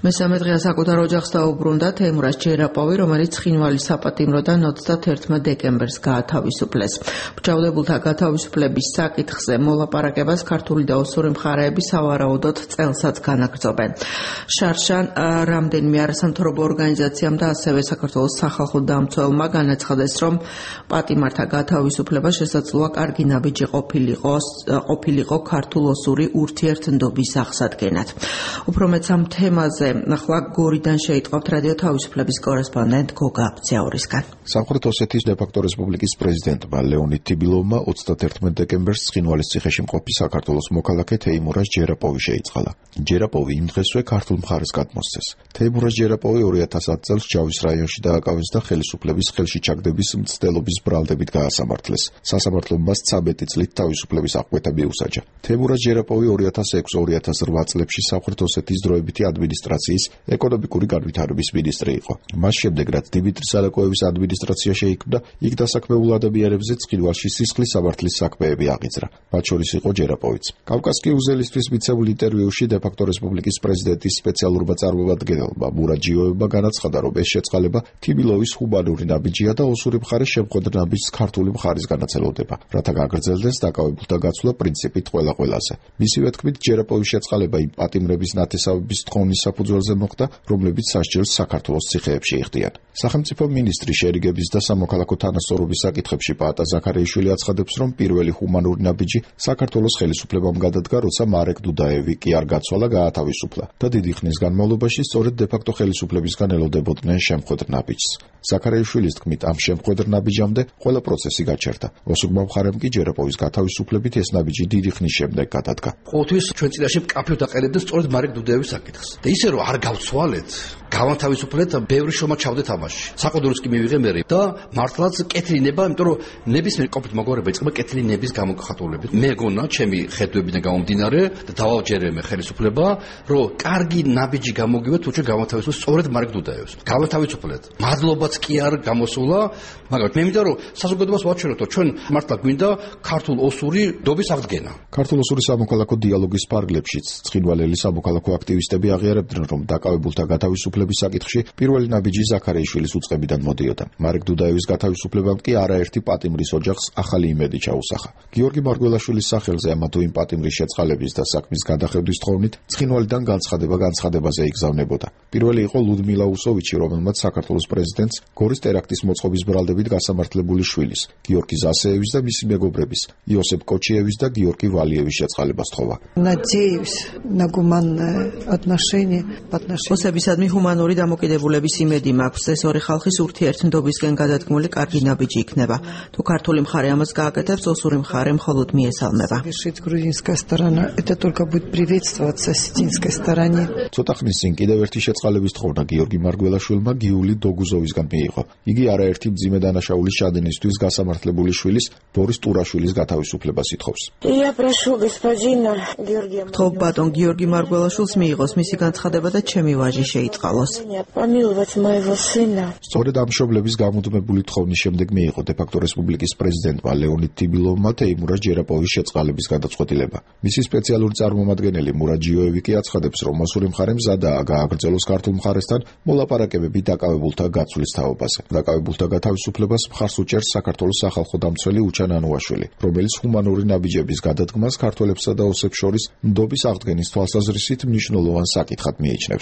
მესამე დღეა საკუთარ ოჯახს დაუბრუნდა თეიმურაზ ჯერაპოვი, რომელიც ცხინვალის საპატიმროდან 31 დეკემბერს გაათავისუფლეს. მრჩევლებულთა გათავისუფლების საკითხზე მოლაპარაკებას ქართული და ოსური მხარეები სავარაუდოდ წელსაც განაგრძობენ. შარშან რამდენიმე არასამთავრობო ორგანიზაციამ და ასევე საქართველოს სახალხო დამცველმა განაცხადეს, რომ პატიმართა გათავისუფლება შესაძლოა კარგი ნაბიჯი ყოფილიყო ქართულ-ოსური ურთიერთნდობის აღსადგენად. უფრო მეც ამ თემაზე ახლა გორიდან შეიტყავთ რადიო თავისუფლების კორესპონდენტ გოგა აბძიაურისგან. სამხრეთ ოსეთის დე-ფაქტო რესპუბლიკის პრეზიდენტმა ლეონიდ თიბილოვმა 31 დეკემბერს ცხინვალის ციხეში მყოფი საქართველოს მოქალაქე თეიმურაზ ჯერაპოვი შეიწყალა. ჯერაპოვი იმ დღესვე ქართულ მხარეს გადმოსცეს. თეიმურაზ ჯერაპოვი 2010 წელს ჯავის რაიონში დააკავეს და ხელისუფლების ხელში ჩაგდების მცდელობის ბრალდებით გაასამართლეს. სასამართლომ მას 13 წლით თავისუფლების აღკვეთა მიუსაჯა. თეიმურაზ ჯერაპოვი 2006-2008 წლებში სამხრეთ ოსეთის დროებითი ადმინისტრაციის ეკონომიკური განვითარების მინისტრი იყო. მას შემდეგ, რაც დიმიტრი სალაკოევის ადმინისტრაცია შეიქმნა, იქ დასაქმებულ ადამიანებზე ცხინვალში სისხლის სამართლის საქმეები აღიძრა. მათ შორის იყო ჯერაპოვიც. კავკასკი უზელისთვის მიცემულ ინტერვიუში დე-ფაქტო რესპუბლიკის პრეზიდენტის სპეციალურმა წარმომადგენელმა მურად ჯიოევმა განაცხადა, რომ ეს შეწყალება თიბილოვის ჰუმანური ნაბიჯია და ოსური მხარე შემხვედრ ნაბიჯს ქართული მხარის განაწილავდება, რათა გაგრძელდეს დაკავებულთა გაცვლა პრინციპით ყველა-ყველაზე. მისივე თქმით, ჯერაპოვის შეწყალება იმ პატიმრების ნათესავების თხოვნის საფუძველზე მოხდა, რომლებიც სასჯელს საქართველოს ციხეებში იხდიან. სახელმწიფო მინისტრი შერიგების და სამოქალაქო თანასწორობის საკითხებში პაატა ზაქარიაშვილი აცხადებს, რომ პირველი ჰუმანური ნაბიჯი საქართველოს ხელისუფლებამ გადადგა, როცა მარეკ დუდაევი კი არ გაცვალა, გაათავისუფლა და დიდი ხნის განმავლობაში სწორედ დე-ფაქტო ხელისუფლებისგან ელოდებოდნენ შემხვედრ ნაბიჯს. ზაქარიაშვილის თქმით, ამ შემხვედრ ნაბიჯამდე ყველა პროცესი გაჩერდა. ოსურმა მხარემ კი ჯერაპოვის გათავისუფლებით ეს ნაბიჯი დიდი ხნის შემდეგ გადადგა. ყოველთვის ჩვენ წინაშე მკაფიოდ აყენებდნენ სწორედ მარეკ დუდაევის საკითხს. და ისე რომ არ გავცვალეთ, გავანთავისუფლეთ, ბევრი შრომა ჩავდეთ ამაში. საყდურის კი მივიღე მე და მართლაც კეთილი ნება, იმიტომ რომ ნებისმიერ ყოფით მოგორება იწყება კეთილი ნების გამოგხატულებით. მე გონა ჩემი ხედვებიდან გამომდინარე და დავავჯერე მე ხელისუფლება, რომ კარგი ნაბიჯი გამოგივეთ, თუ ჩვენ გავანთავისუფლეთ სწორედ მარეკ დუდაევს. გავანთავისუფლეთ. მადლობაც კი არ გამოსულა, მაგრამ მე მინდა რომ საზოგადოებას ვაჩვენოთ, რომ ჩვენ მართლა გვინდა ქართულ-ოსური დობის აღდგენა. ქართულ-ოსური სამოქალაქო დიალოგის ფარგლებშიც ცხინვალელი სამოქალაქო აქტივისტები აღიარებდნენ, რომ დაკავებულთა გათავისუფლების საკითხში პირველი ნაბიჯი ზაქარიაშვილის უწყებიდან მოდიოდა. მარეკ დუდაევის გათავისუფლებამ კი არაერთი პატიმრის ოჯახს ახალი იმედი ჩაუსახა. გიორგი მარგველაშვილის სახელზე ამა თუ იმ პატიმრის შეწყალების და საქმის გადახედვის თხოვნით ცხინვალიდან განცხადებაზე იგზავნებოდა. პირველი იყო ლუდმილა უსოვიჩი, რომელმაც საქართველოს პრეზიდენტს გორის ტერაქტის მოწყობის ბრალდებით გასამართლებული შვილის, გიორგი ზასეევის და მისი მეგობრების, იოსებ კოჩიევის და გიორგი ვალიევის შეწყალებას თხოვა. ოსებისადმი ჰუმანური დამოკიდებულების იმედი მაქვს. ეს ორი ხალხის ურთიერთნდობისკენ გადადგმული კარგი ნაბიჯი იქნება. თუ ქართული მხარე ამას გააკეთებს, ოსური მხარე მხოლოდ მიესალმება. ცოტა ხნის წინ კიდევ ერთი შეწყალების თხოვნა გიორგი მარგველაშვილმა გიული დოგუზოვისგან მიიღო. იგი არაერთი მძიმე დანაშაულის ჩადენისთვის გასამართლებული შვილის, ბორის ტურაშვილის გათავისუფლებას ითხოვს. გთხოვ ბატონ გიორგი მარგველაშვილს მიიღოს მისი განცხადება და ჩემი ვაჟი შეიწყალოს. სწორედ ამ მშობლების გამუდმებული თხოვნის შემდეგ მიიღო დე-ფაქტო რესპუბლიკის პრეზიდენტმა ლეონიდ თიბილოვმა თეიმურაზ ჯერაპოვის შეწყალების გადაწყვეტილება. მისი სპეციალური წარმომადგენელი მურად ჯიოევი კი აცხადებს, რომ ოსური მხარე მზადაა გააგრძელოს ქართულ მხარესთან მოლაპარაკებები დაკავებულთა გაცვლის თაობაზე. დაკავებულთა გათავისუფლებას მხარს უჭერს საქართველოს სახალხო დამცველი უჩან ანუაშვილი, რომელიც ჰუმანური ნაბიჯების გადადგმას ქართველებსა და ოსებს შორის ნდობის აღდგენის თვალსაზრისით მნიშვნელოვან საკითხად მიიჩნევს.